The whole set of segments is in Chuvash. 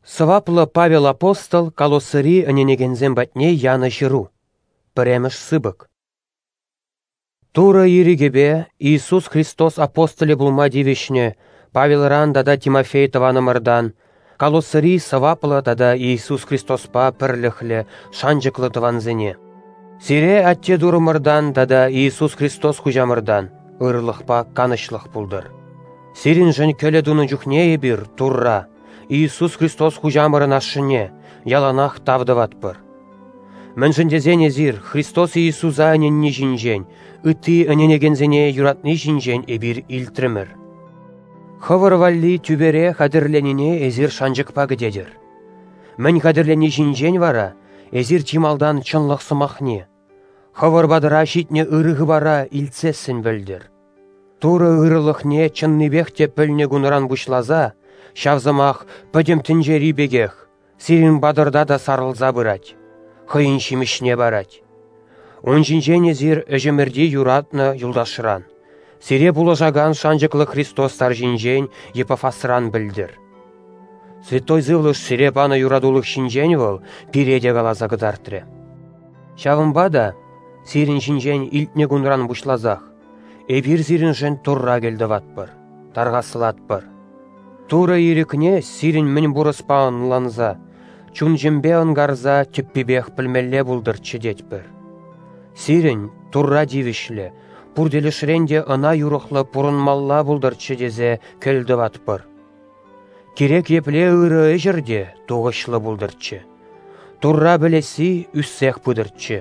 Сӑваплӑ Павел апостол Колоссӑри ӗненекенсем патне янӑ ҫыру. Пӗрремӗш сыпӑк. Турӑ ирӗкӗпе Иисус Христос апостолӗ пулма тивӗҫнӗ Павелран тата Тимофей тӑванӑмӑртан Колоссӑри сӑваплӑ тата Иисус Христоспа пӗрлӗхлӗ шанчӑклӑ тӑвансене. Сире Атте Турӑмӑртан тата Иисус Христос Хуҫамӑртан ырӑлӑхпа канӑҫлӑх пултӑр. Сирӗншӗн кӗлӗ тунӑ чухне эпир Турра, Иисус Христос Хуҫамӑрӑн Ашшӗне, яланах тав тӑватпӑр. Мӗншӗн тесен эсир Христос Иисуса ӗненни ҫинчен, ытти ӗненекенсене юратни ҫинчен эпир илтрӗмӗр. Хӑвӑр валли тӳпере хатӗрленине эсир шанчӑкпа кӗтетӗр. Мӗн хатӗрлени ҫинчен вара эсир чи малтан чӑнлӑх сӑмахне, хӑвӑр патӑра ҫитнӗ ырӑ хыпара илтсессӗн пӗлтӗр. Турӑ ырӑлӑхне чӑннипех те пӗлнӗ кунран пуҫласа ҫав сӑмах пӗтӗм тӗнчери пекех сирӗн патӑрта та сарӑлса пырать, хӑйӗн ҫимӗҫне парать. Ун ҫинчен эсир ӗҫӗмӗрти юратнӑ юлташран, сире пулӑшакан шанчӑклӑ Христос тарҫинчен Епафасран пӗлтӗр. Святой Сывлӑш сире панӑ юратулӑх ҫинчен вӑл пире те каласа кӑтартрӗ. Ҫавӑнпа та сирӗн ҫинчен илтнӗ кунран пуҫласах эпир сирӗншӗн Турра кӗлтӑватпӑр, тархаслатпӑр. Турӑ ирӗкне сирӗн мӗн пур ӑспа ӑнланса, чун-чӗмпе ӑнкарса тӗппипех пӗлмелле пултӑрччӗ тетпӗр. Сирӗн Турра тивӗҫлӗ, пур тӗлӗшрен те ӑна юрӑхлӑ пурӑнмалла пултӑрччӗ тесе кӗлтӑватпӑр. Кирек епле ырӑ ӗҫӗр те тухӑҫлӑ пултӑрччӗ. Турра пӗлесси ӳссех пытӑрччӗ.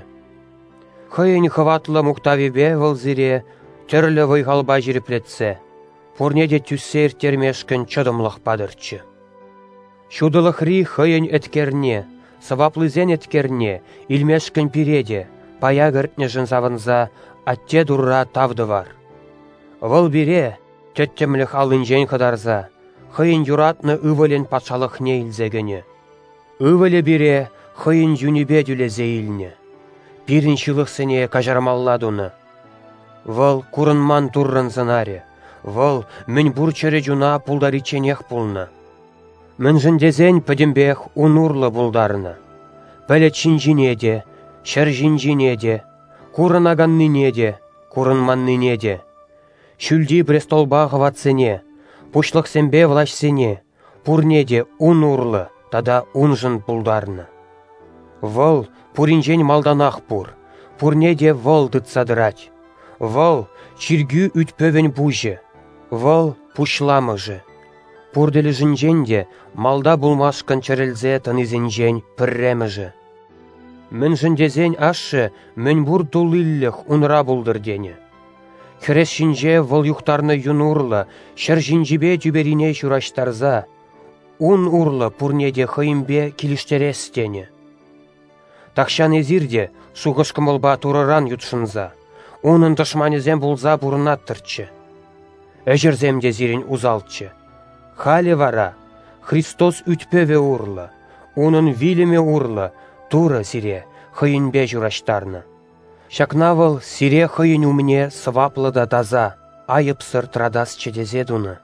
Хӑйӗн хӑватлӑ мухтавӗпе вӑл сире тӗрлӗ вӑй-халпа ҫирӗплетсе, пурне те тӳссе ирттермешкӗн чӑтӑмлӑх патӑрччӗ. Ҫутӑлӑхри хӑйӗн еткерне, сӑваплисен еткерне илмешкӗн пире те пая кӗртнӗшӗн савӑнса Атте Турра тав тӑвар. Вӑл пире, тӗттӗмлӗх аллинчен хӑтарса, хӑйӗн юратнӑ Ывӑлӗн патшалӑхне илсе кӗнӗ. Ывӑлӗ пире хӑйӗн юнӗпе тӳлесе илнӗ, пирӗн ҫылӑхсене каҫармалла тунӑ. Вӑл курӑнман Туррӑн сӑнарӗ, вӑл мӗн пур чӗрӗ чуна пултаричченех пулнӑ. Мӗншӗн тесен пӗтӗмпех ун урлӑ пултарнӑ. Пӗлӗт ҫинчине те, ҫӗр ҫинчине те, курӑнаканнине те, курӑнманнине те, ҫӳлти престолпа хӑватсене, пуҫлӑхсемпе влаҫсене, пурне те ун урлӑ тата уншӑн пултарнӑ. Вӑл пуринчен малтанах пур, пурне те вӑл тытса тӑрать. Вӑл чиркӳ ӳт-пӗвӗн пуҫӗ, вӑл пуҫламӑшӗ. Пур тӗлӗшӗнчен те малта пулмашкӑн чӗрӗлсе тӑнисенчен пӗрремӗшӗ. Мӗншӗн тесен ашшӗ мӗн пур туллилӗх унра пултӑр тенӗ. Хӗрес ҫинче вӑл юхтарнӑ юн урлӑ ҫӗр ҫинчипе тӳперине ҫураҫтарса, ун урлӑ пурне те хӑйӗнпе килӗштерес тенӗ. Тахҫан эсир те шухӑш-кӑмӑлпа Турӑран ютшӑнса, унӑн тӑшманӗсем пулса пурӑнаттӑрччӗ. Ӗҫӗрсем те сирӗн усалччӗ. Халӗ вара Христос ӳт-пӗвӗ урлӑ, унӑн вилӗмӗ урлӑ Турӑ сире хӑйӗнпе ҫураҫтарнӑ. Ҫакна вӑл сире хӑйӗн умне сӑваплӑ та таса, айӑпсӑр тӑратасчӗ тесе тунӑ.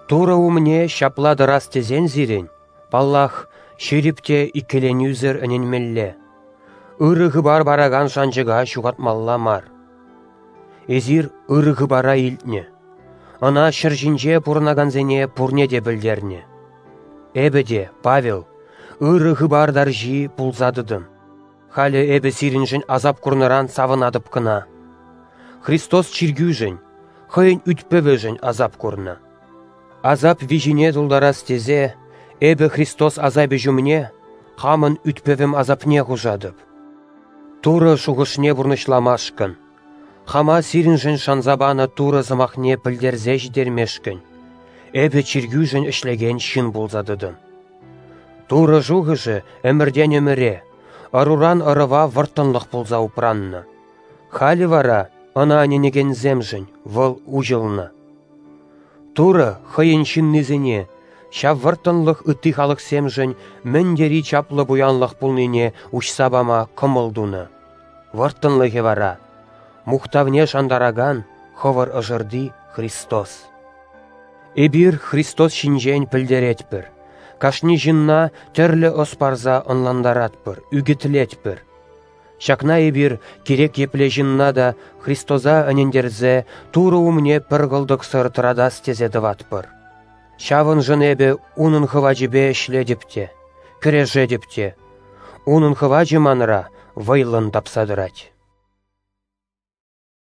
Турӑ умне ҫапла тӑрас тесен сирӗн, паллах, ҫирӗп те иккӗленӳсӗр ӗненмелле. Ырӑ хыпар паракан шанчӑка ҫухатмалла мар. Эсир ырӑ хыпара илтнӗ. Ӑна ҫӗр ҫинче пурӑнакансене пурне те пӗлтернӗ. Эпӗ те, Павел, ырӑ хыпар тарҫи пулса тӑтӑм. Халӗ эпӗ сирӗншӗн асап курнӑран савӑнатӑп кӑна. Христос чиркӳшӗн, хӑйӗн ӳт-пӗвӗшӗн асап курнӑ. Асап виҫине тултарас тесе эпӗ Христос асапӗ ҫумне хамӑн ӳт-пӗвӗм асапне хушатӑп. Турӑ шухӑшне пурнӑҫламашкӑн, хама сирӗншӗн шанса панӑ Турӑ сӑмахне пӗлтерсе ҫитермешкӗн эпӗ чиркӳшӗн ӗҫлекен ҫын пулса тӑтӑм. Турӑ шухӑшӗ ӗмӗртен ӗмӗре, ӑруран ӑрӑва вӑрттӑнлӑх пулса упраннӑ. Халӗ вара ӑна ӗненекенсемшӗн вӑл уҫӑлнӑ. Турӑ хӑйӗн ҫыннисене ҫав вӑрттӑнлӑх ытти халӑхсемшӗн мӗн тери чаплӑ пуянлӑх пулнине уҫса пама кӑмӑл тунӑ. Вӑрттӑнлӑхӗ вара мухтавне шантаракан хӑвӑр ӑшӑрти Христос. Эпир Христос ҫинчен пӗлтеретпӗр. кашни ҫынна тӗрлӗ ӑс парса ӑнлантаратпӑр, ӳкӗтлетпӗр. Ҫакна эпир кирек епле ҫынна та Христоса ӗнентерсе Турӑ умне пӗр кӑлтӑксӑр тӑратас тесе тӑватпӑр. Ҫавӑншӑн эпӗ унӑн хӑвачӗпе ӗҫлетӗп те, кӗрешетӗп те. Унӑн хӑвачӗ манра вӑйлӑн тапса тӑрать.